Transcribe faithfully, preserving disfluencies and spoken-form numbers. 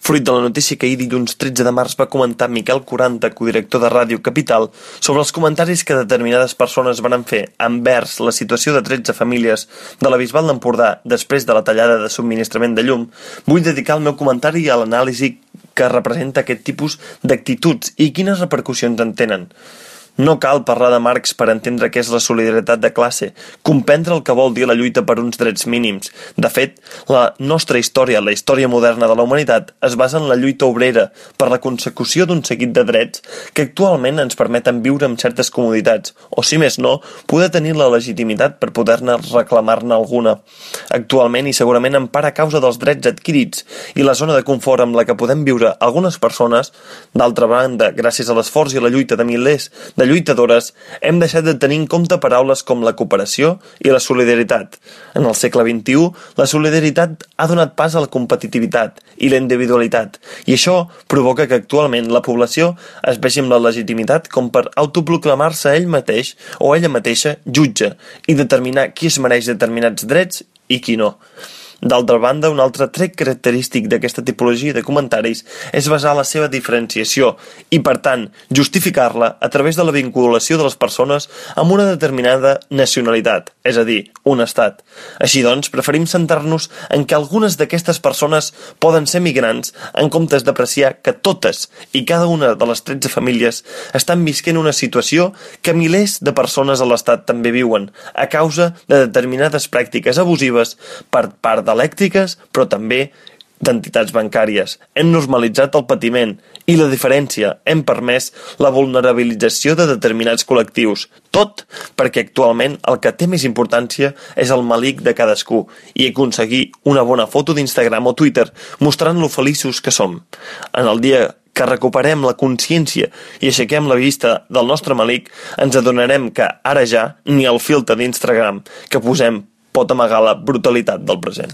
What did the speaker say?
fruit de la notícia que ahir dilluns tretze de març va comentar Miquel Quaranta, codirector de Ràdio Capital, sobre els comentaris que determinades persones van fer envers la situació de tretze famílies de la Bisbal d'Empordà després de la tallada de subministrament de llum, vull dedicar el meu comentari a l'anàlisi que representa aquest tipus d'actituds i quines repercussions en tenen. No cal parlar de Marx per entendre què és la solidaritat de classe, comprendre el que vol dir la lluita per uns drets mínims. De fet, la nostra història, la història moderna de la humanitat, es basa en la lluita obrera per la consecució d'un seguit de drets que actualment ens permeten viure amb certes comoditats, o si més no, poder tenir la legitimitat per poder-ne reclamar-ne alguna. Actualment i segurament en part a causa dels drets adquirits i la zona de confort amb la que podem viure algunes persones, d'altra banda, gràcies a l'esforç i a la lluita de milers de lluitadores, hem deixat de tenir en compte paraules com la cooperació i la solidaritat. En el segle vint-i-u, la solidaritat ha donat pas a la competitivitat i la individualitat, i això provoca que actualment la població es vegi amb la legitimitat com per autoproclamar-se ell mateix o ella mateixa jutge i determinar qui es mereix determinats drets i qui no. D'altra banda, un altre tret característic d'aquesta tipologia de comentaris és basar la seva diferenciació i, per tant, justificar-la a través de la vinculació de les persones amb una determinada nacionalitat, és a dir, un estat. Així doncs, preferim centrar-nos en que algunes d'aquestes persones poden ser migrants en comptes d'apreciar que totes i cada una de les tretze famílies estan visquent una situació que milers de persones a l'estat també viuen, a causa de determinades pràctiques abusives per part elèctriques, però també d'entitats bancàries. Hem normalitzat el patiment i la diferència, hem permès la vulnerabilització de determinats col·lectius. Tot perquè actualment el que té més importància és el malic de cadascú i aconseguir una bona foto d'Instagram o Twitter mostrant lo feliços que som. En el dia que recuperem la consciència i aixequem la vista del nostre malic, ens adonarem que ara ja ni el filtre d'Instagram que posem pot amagar la brutalitat del present.